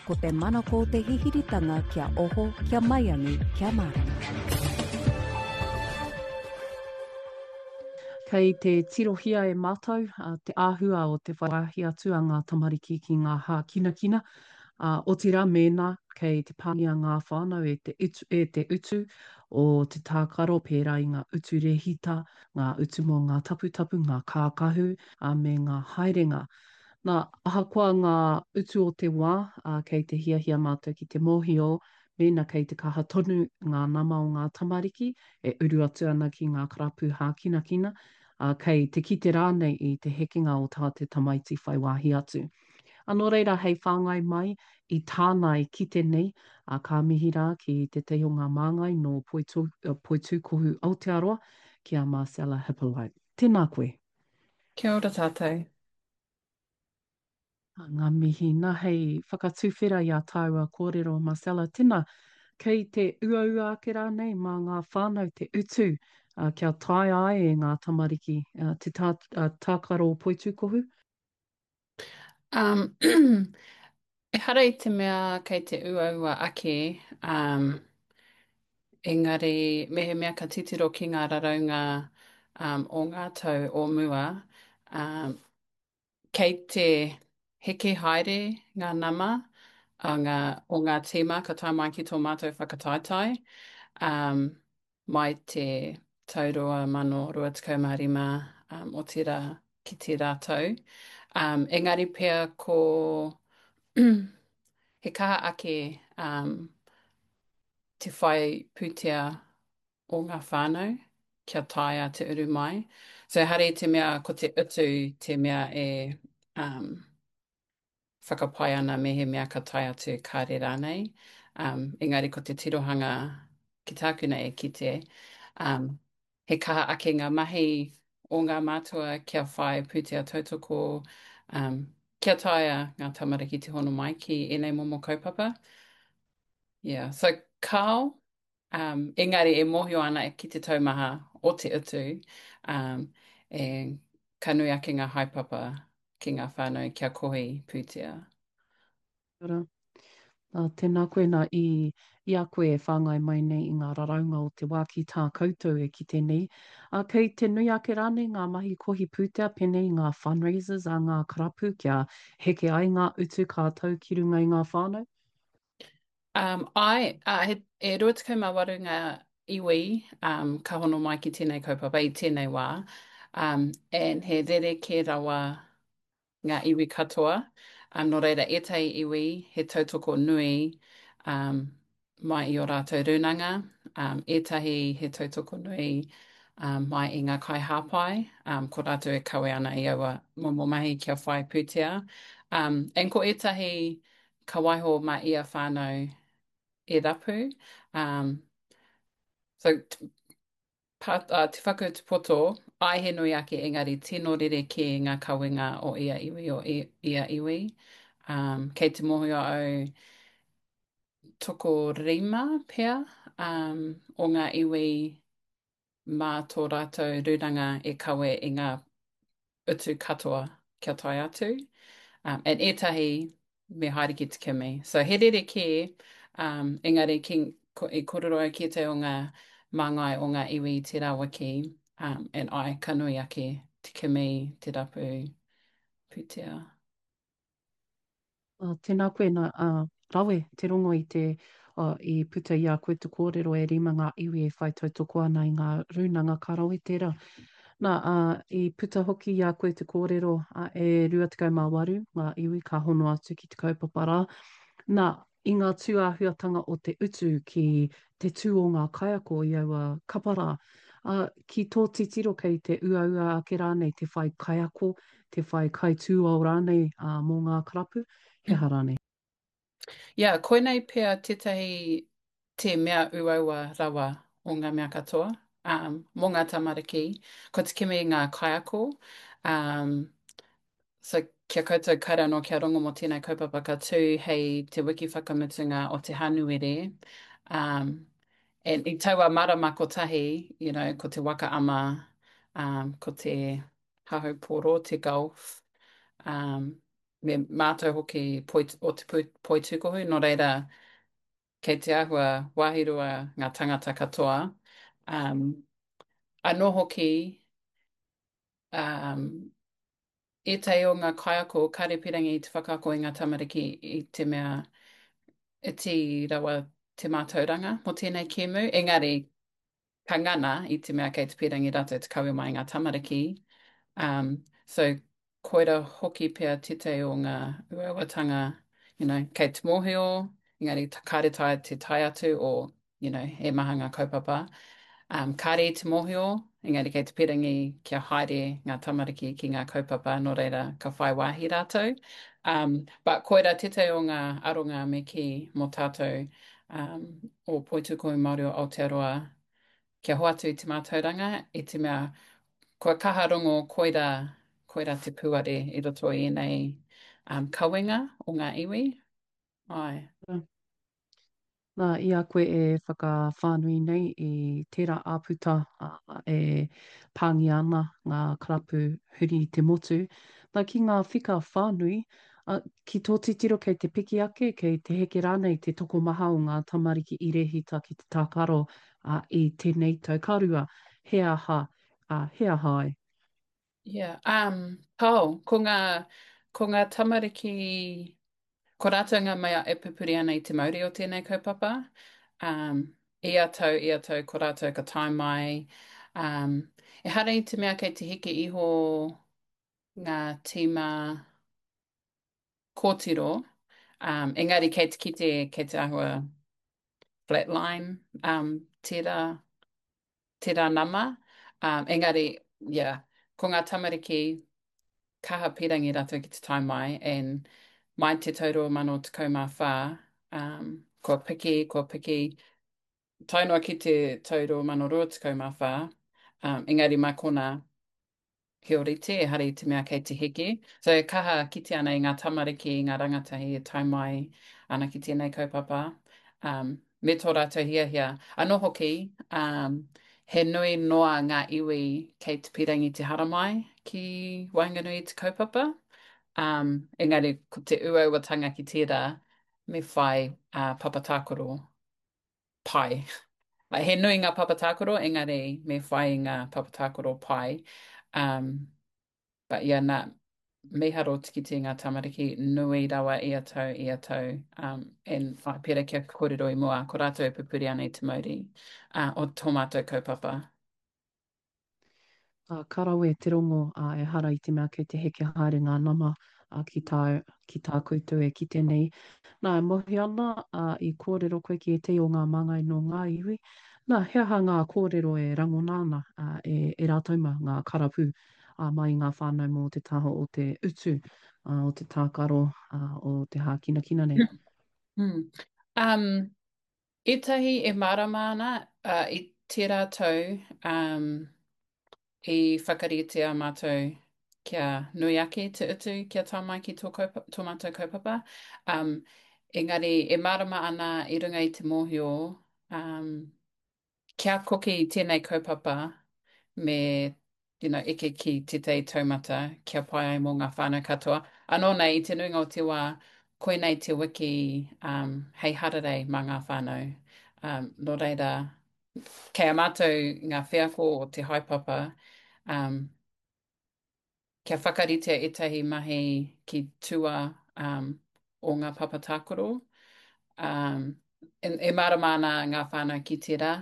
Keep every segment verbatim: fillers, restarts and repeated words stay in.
Ko te manako o te hihiritanga kia oho, kia maiangi, kia mārama. Kei te tirohia e mātou te āhua o te whai wāhi atu a ngā tamariki ki ngā hākinakina, ā, otirā mēnā kei te pāngia ngā whānau e te utu, e te utu o te tākaro pērā i ngā utu rēhita, ngā utu mō ngā taputapu, ngā kākahu, ā, me ngā haerenga. Nā, ahakoa ngā utu o te wā, ā, kei te hiahia mātou ki te mōhio mēnā kei te kaha tonu ngā nama o ngā tamariki e uru atu ana ki ngā karapu hākinakina, ā, kei te kite rānei i te hekenga o tā te tamaiti whai wāhi atu. Ā, nō reira, hei whāngai mai i tāna e kite nei, ā, ka mihi rā ki tētahi o ngā māngai nō Poitūkohu Aotearoa, ki a Marcella Hippolyte. Tēnā koe. Kia ora tātou. Ngā mihi. Na, hei whakatuwhera i a tāua kōrero, Marcella, tena, kei te uaua ake rānei mā ngā whānau te utu kia taea ai e ngā tamariki te tākaro poitūkohu? Um, ehara i te mea kei te uaua ake, um, engari mehemea ka titiro ki ngā raraunga um, o ngā tau o mua, um, Kei te heke haere ngā nama a ngā, o ngā tīma ka tae mai ki tō mātou whakataetae, um, mai te tau rua mano rua tekau mā rima, um, otirā ki tērā tau. Um, engari pea ko he kaha ake um, te whai pūtea o ngā whānau kia taea te uru mai. So ehara i te mea ko te utu te mea e um, whakapae ana mehemea ka tae atu kāre rānei. Um, engari ko te tirohanga ki tāku nei e kite, um, he kaha ake ngā mahi o ngā mātua kia whai pūtea tautoko, um, kia taea ngā tamariki te hono mai ki ēnei momo kaupapa. Yeah. So kāo, Um, engari e mōhio ana ki te taumaha o te utu, um, e, ka nui ake ngā haepapa ki ngā whānau kia kohi pūtea. Kia ora. Uh, tēnā koe nā i, i a koe e whāngai mai nei i ngā raraunga o te wā ki tā koutou e kite nei. Uh, kei te nui ake rānei ngā mahi kohi pūtea pēnei i ngā fundraisers a ngā karapu kia heke ai ngā utu ka tau ki runga i ngā whānau? Um, āe, ā, he, e rua tekau mā waru ngā iwi um, ka hono mai ki tēnei kaupapa i tēnei wā, um, and he rerekē rawa ngā iwi katoa. Um, nō reira, ētahi iwi he tautoko nui um, mai i ō rātou rūnanga, um, ētahi he tautoko nui um, mai i ngā kaihāpai, um, ko rātou e kawe ana i aua momo mahi kia whai pūtea. Um, and ko ētahi ka waiho mā ia whānau e rapu. Um, so, pa, uh, te whakautu poto, ai he nui ake engari tino rerekē ngā kawenga o ia iwi o ia iwi. Um, kei te mōhio au tokorima pea um, o ngā iwi mā tō rātou rūnanga e kawe i ngā utu katoa kia tae atu. Um, and ētahi me haere ki te kimi. So he rerekē, um, engari ki, ko, i kōrero au ki ētahi o ngā māngai o ngā iwi i tērā wiki, um, and ai, ka nui ake te kimi, te rapu pūtea. Uh, tēnā koe, nā, uh, rawe te rongo i te, uh, i puta i a koe te kōrero e rima ngā iwi e whai tautoko ana i ngā rūnanga ka rawe tērā. Nā, uh, i puta hoki i a koe te kōrero uh, e rua tekau mā waru ngā iwi ka hono atu ki te kaupapa rā. Nā, i ngā tūāhuatanga o te utu ki te tū o ngā kaiako i aua kapa rā, ā, ki tō titiro kei te uaua ake rānei te whai kaiako, te whai kaitūao rānei ā, mō ngā karapu, he aha rānei? Yeah, koinei pea tētahi te mea uaua rawa o ngā mea katoa, um, mō ngā tamariki, ko te kimi i ngā kaiako, um, So, kia koutou kāre anō kia rongo mō tēnei kaupapa ka tū hei te wiki whakamutunga o te Hānuere. Um, and i taua marama kotahi, you know, ko te waka ama, um, ko te hahau pōro, te golf, um, me mātou hoki poi, o te poitūkohu, nō reira kei te āhua wāhirua ngā tangata katoa. Um, anō hoki, um, ētahi o ngā kaiako kāre pīrangi i te whakaako i ngā tamariki i te mea iti rawa te mātauranga mō tēnei kēmu, engari ka ngana i te mea kei te pīrangi rātou te kawe mai i ngā tamariki. Um, so koira hoki pea tētahi o ngā uauatanga, you know, kei te mōhio, engari kāre taea te tae atu o, you know, he maha ngā kaupapa. Um, kāre i te mōhio, engari kei te pīrangi kia haere ngā tamariki ki ngā kaupapa, nō reira ka whai wāhi rātou. Um, but koira tētahi o ngā aronga me kī mō tātou um, o Poitūkohu Māori o Aotearoa kia hoatu i te mātauranga i te mea kua kaha rongo koira, koira te puare i roto i ēnei um, kawenga o ngā iwi. Ai. Nā, i a koe e whakawhānui nei i tērā āputa e pāngia ana ngā karapu huri i te motu, nā, ki ngā whika whānui, ki tō titiro kei te piki ake, kei te heke rānei te tokomaha o ngā tamariki i rēhita ki te tākaro i tēnei tau? Ka rua, he aha, he aha ai? Yeah, um, Pao, ko ngā, ko ngā tamariki, ko rātou ngā mea e pupuri ana i te mauri o tēnei kaupapa. Um, ia tau, ia tau, ko rātou ka tae mai. Um, ehara i te mea kei te heke iho ngā tīma kōtiro, um, engari kei te kite, kei te āhua flatline, um, tērā, tērā nama. Um, engari, yeah, ko ngā tamariki kaha pīrangi rātou ki te tae mai, and mai te tau rua mano tekau mā whā, um, kua piki, kua piki, tae noa ki te tau rua mano rua tekau mā whā, um, engari mā konā, He ōrite, ehara i te mea kei te heke. So e kaha kite ana i ngā tamariki, i ngā rangatahi e tae mai ana ki tēnei kaupapa, um, me tō rātou hiahia. Anō hoki, um, he nui noa ngā iwi kei te pīrangi te haramai ki waenganui i te kaupapa. Um, engari ko te uauatanga ki tērā, me whai uh, papa tākaro pai. Like, he nui ngā papa tākaro, engari me whai i ngā papa tākaro pai. Um, but yeah, nā, mīharo te kite i ngā tamariki, nui rawa ia tau, ia tau. Um, and whai, pērā kia kōrero i mua, ko rātou e pupuri ana i te mauri uh, o tō mātou kaupapa. Ā, ka rawe te rongo, ā, ehara i te mea kei te heke haere ngā nama, ā, ki tā, ki tā koutou e kite nei. Nā, e mōhio ana, ā, i kōrero koe ki ētahi o ngā māngai nō ngā iwi. Nā, he aha ngā kōrero e rangona ana, ā, e, e rātou mā, ngā karapu, ā, mai i ngā whānau mō te taha o te utu, ā, o te tākaro, ā, o te hākinakina nei? Mm. Um, ētahi e mārama ana, uh, i tērā tau, um, i whakaritea mātou kia nui ake te utu kia tae mai ki tō, kaupa, tō mātou kaupapa. Um, engari e mārama ana i runga i te mōhio um, kia koke i tēnei kaupapa me you know, eke ki tētahi taumata kia pai ai mō ngā whānau katoa. Anō nei, i te nuinga o te wā, koinei te wiki um, hei hararei mā ngā whānau. Um, nō reira, Kei a mātou ngā wheako o te haepapa, um, kia whakaritea ētahi mahi ki tua um, o ngā papa tākaro. Um, e, e mārama ana ngā whānau ki tērā.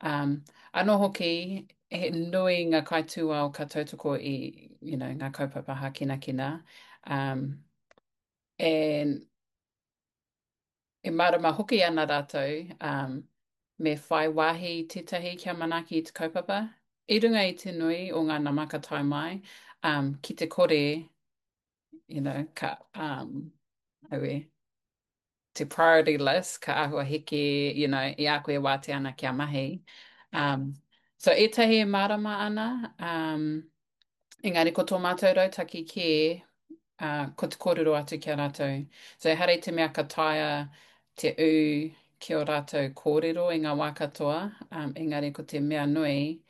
Um, anō hoki, he nui ngā kaitūao ka tautoko i you know, ngā kaupapa hākinakina. Um, and E mārama hoki ana rātou, um, me whai wāhi tētahi kia manaaki i te kaupapa. I runga i te nui o ngā nama ka tae mai, um, ki te kore, you know, ka, um, aue, te priority list, ka āhua heke, you know, i a koe e wātea ana kia mahi. Um, so ētahi e mārama ana, um, engari ko tō mātou rautaki kē, ā, ko te kōrero atu ki a rātou. So ehara i te mea ka taea te ū ki ō rātou kōrero i ngā wā katoa, um, engari ko te mea nui,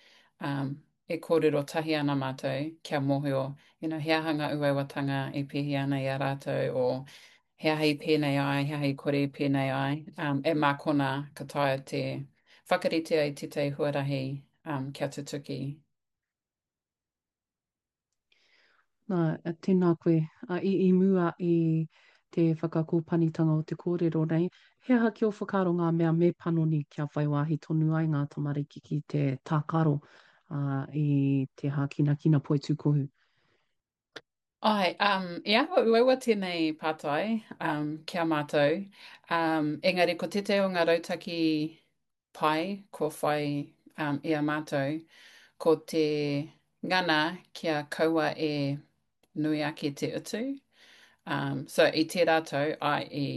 um, e kōrero tahi ana mātou kia mōhio, you know, he aha ngā uauatanga e pēhi ana i a rātou o he aha i pēnei ai, he aha i kore i pēnei ai. Um, e mā konā ka taea te whakarite ai tētahi huarahi um, kia tutuki. Nā, tēnā koe. I, i mua i te whakakōpanitanga o te kōrero nei, he aha ki ō whakaaro ngā mea me panoni kia whai wāhi tonu ai ngā tamariki ki te tākaro i te hākinakina poitūkohu? Āe, um, i āhua uaua tēnei pātai um, ki a mātou, um, engari ko tētahi o ngā rautaki pai kua whai um, i a mātou, ko te ngana kia kaua e nui ake te utu. Um, so i tērā tau, āe, i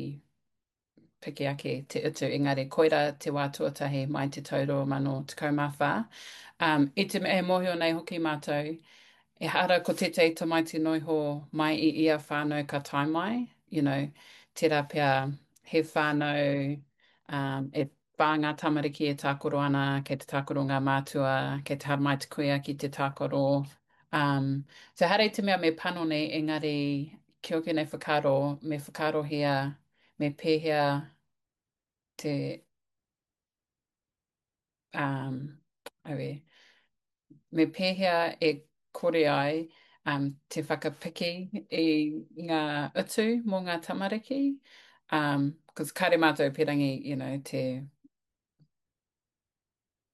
piki ake te utu, engari koirā te wā tuatahi mai te tau rua mano tekau mā whā. Um, i te mea e mōhio nei hoki mātou, ehara ko tētahi tamaiti noa iho mai i ia whānau ka tae mai, you know, tērā pea he whānau um, e whā ngā tamariki e tākaro ana, kei te tākaro ngā mātua, kei te haramai te kuia ki te tākaro. Um, so ehara i te mea me panoni, engari ki ōku nei whakaaro, me whakaarohia me pēhea te, um, aue, me pēhea e kore ai um, te whakapiki i ngā utu mō ngā tamariki. Um, cause kāre mātou pērangi, you know, te,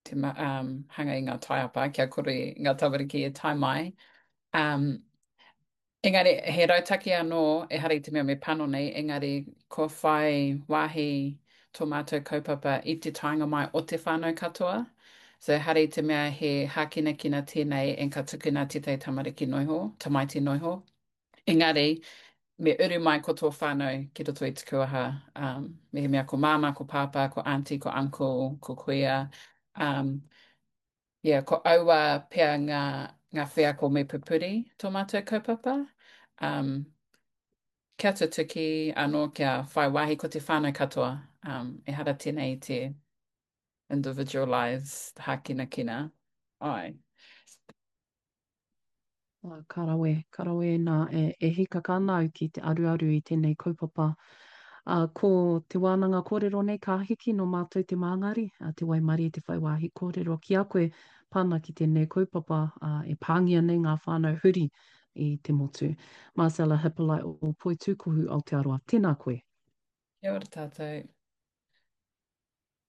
te um, hanga i ngā taiapa kia kore ngā tamariki e tae mai. Um, engari, he rautaki anō, ehara i te mea me panoni, engari kua whai wāhi tō mātou kaupapa i te taenga mai o te whānau katoa. So ehara i te mea he hākinakina tēnei and ka tukuna tētahi tamariki noa iho, tamaiti noa iho. Engari, me uru mai ko tō whānau ki roto i te kuaha, um, mehemea ko māmā, ko pāpā, ko auntie, ko uncle, ko kuia. Um, yeah, ko aua pea ngā, ngā wheako me pupuri tō mātou kaupapa. Um, kia tutuki anō kia whai wāhi ko te whānau katoa. Um, ehara tēnei i te individualised hākinakina. Āe. Ā, ka rawe, ka rawe nā, e, e hīkaka ana au ki te aruaru i tēnei kaupapa. Ā, ko te wānanga kōrero nei ka hiki nō mātou te māngari, ā, te waimarie te whai wāhi kōrero ki a koe pā ana ki tēnei kaupapa, ā, e pāngia nei ngā whānau huri i te motu. Marcella Hippolite o Poitūkohu Aotearoa, tēnā koe. Kia ora tātou.